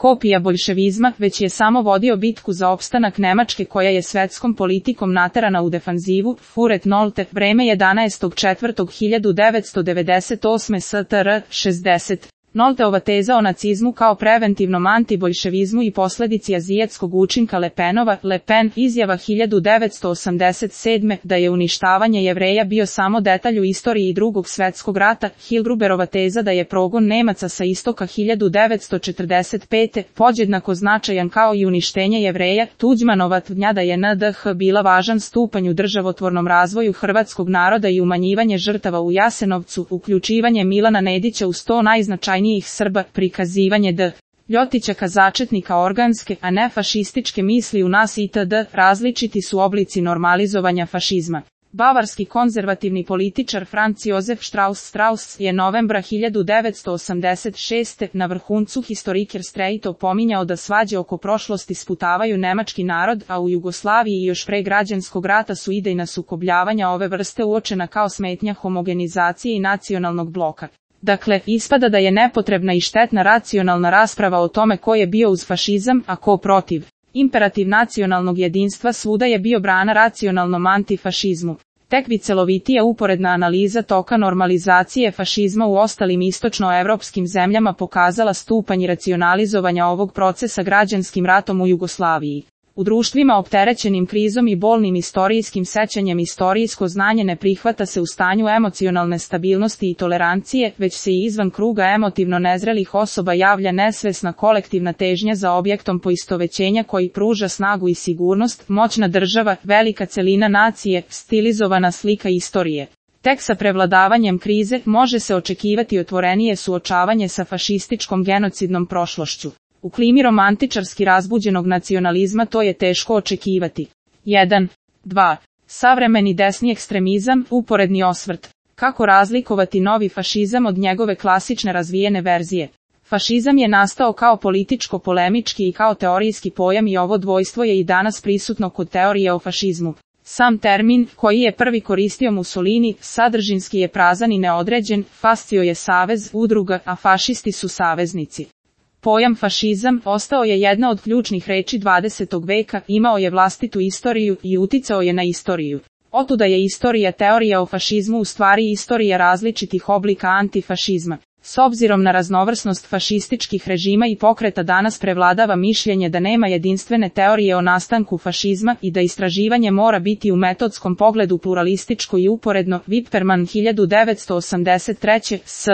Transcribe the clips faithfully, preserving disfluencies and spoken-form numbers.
kopija boljševizma, već je samo vodio bitku za opstanak Nemačke koja je svetskom politikom naterana u defanzivu. Furet Nolte, vreme jedanaestog četvrtog hiljadu devetsto devedeset osme S T R, šezdeset. Nolteova teza o nacizmu kao preventivnom antiboljševizmu i posledici azijetskog učinka Le Penova, Le Pen, izjava hiljadu devetsto osamdeset sedme. da je uništavanje Jevreja bio samo detalj u istoriji drugog svetskog rata. Hillgruberova teza da je progon Nemaca sa istoka hiljadu devetsto četrdeset pete. podjednako značajan kao i uništenje Jevreja. Tuđmanova tvrdnja da je N D H bila važan stupanj u državotvornom razvoju hrvatskog naroda i umanjivanje žrtava u Jasenovcu, uključivanje Milana Nedića u sto najznačajnijih njih Srba, prikazivanje D. Ljotićaka začetnika organske, a ne fašističke misli u nas itd. Različiti su oblici normalizovanja fašizma. Bavarski konzervativni političar Franz Josef Strauss Strauss je novembra hiljadu devetsto osamdeset šeste. na vrhuncu Historiker Streit opominjao da svađe oko prošlosti sputavaju nemački narod, a u Jugoslaviji i još pre građanskog rata su idejna sukobljavanja ove vrste uočena kao smetnja homogenizacije i nacionalnog bloka. Dakle, ispada da je nepotrebna i štetna racionalna rasprava o tome ko je bio uz fašizam, a ko protiv. Imperativ nacionalnog jedinstva svuda je bio brana racionalnom antifašizmu. Tek bi celovitija uporedna analiza toka normalizacije fašizma u ostalim istočnoevropskim zemljama pokazala stupanj racionalizovanja ovog procesa građanskim ratom u Jugoslaviji. U društvima opterećenim krizom i bolnim istorijskim sećanjem istorijsko znanje ne prihvata se u stanju emocionalne stabilnosti i tolerancije, već se i izvan kruga emotivno nezrelih osoba javlja nesvesna kolektivna težnja za objektom poistovećenja koji pruža snagu i sigurnost, moćna država, velika celina nacije, stilizovana slika istorije. Tek sa prevladavanjem krize može se očekivati otvorenije suočavanje sa fašističkom genocidnom prošlošću. U klimi romantičarski razbuđenog nacionalizma to je teško očekivati. jedan. dva. Savremeni desni ekstremizam, uporedni osvrt. Kako razlikovati novi fašizam od njegove klasične razvijene verzije? Fašizam je nastao kao političko-polemički i kao teorijski pojam i ovo dvojstvo je i danas prisutno kod teorije o fašizmu. Sam termin, koji je prvi koristio Mussolini, sadržinski je prazan i neodređen, fascio je savez, udruga, a fašisti su saveznici. Pojam fašizam ostao je jedna od ključnih reči dvadesetog veka, imao je vlastitu istoriju i uticao je na istoriju. Otuda je istorija teorija o fašizmu u stvari istorija različitih oblika antifašizma. S obzirom na raznovrsnost fašističkih režima i pokreta danas prevladava mišljenje da nema jedinstvene teorije o nastanku fašizma i da istraživanje mora biti u metodskom pogledu pluralističko i uporedno. Wipperman hiljadu devetsto osamdeset treće. S.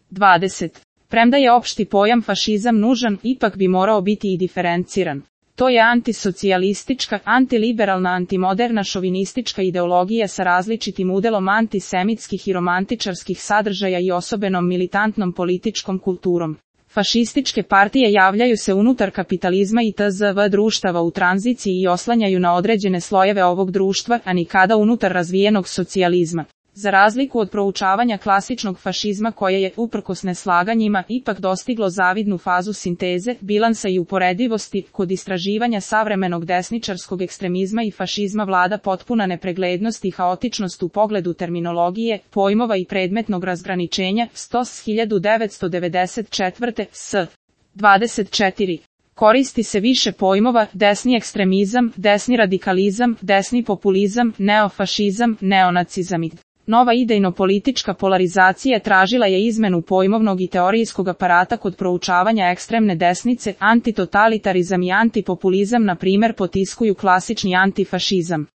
dvadeset. Premda je opšti pojam fašizam nužan, ipak bi morao biti i diferenciran. To je antisocijalistička, antiliberalna, antimoderna šovinistička ideologija sa različitim udelom antisemitskih i romantičarskih sadržaja i osobenom militantnom političkom kulturom. Fašističke partije javljaju se unutar kapitalizma i tzv. društava u tranziciji i oslanjaju na određene slojeve ovog društva, a nikada unutar razvijenog socijalizma. Za razliku od proučavanja klasičnog fašizma koje je, uprkos neslaganjima, ipak dostiglo zavidnu fazu sinteze, bilansa i uporedivosti, kod istraživanja savremenog desničarskog ekstremizma i fašizma vlada potpuna nepreglednost i haotičnost u pogledu terminologije, pojmova i predmetnog razgraničenja. Stos hiljadu devetsto devedeset četvrte. S. dvadeset četiri. Koristi se više pojmova, desni ekstremizam, desni radikalizam, desni populizam, neofašizam, neonacizam. Nova idejno-politička polarizacija tražila je izmenu pojmovnog i teorijskog aparata kod proučavanja ekstremne desnice, antitotalitarizam i antipopulizam na primjer potiskuju klasični antifašizam.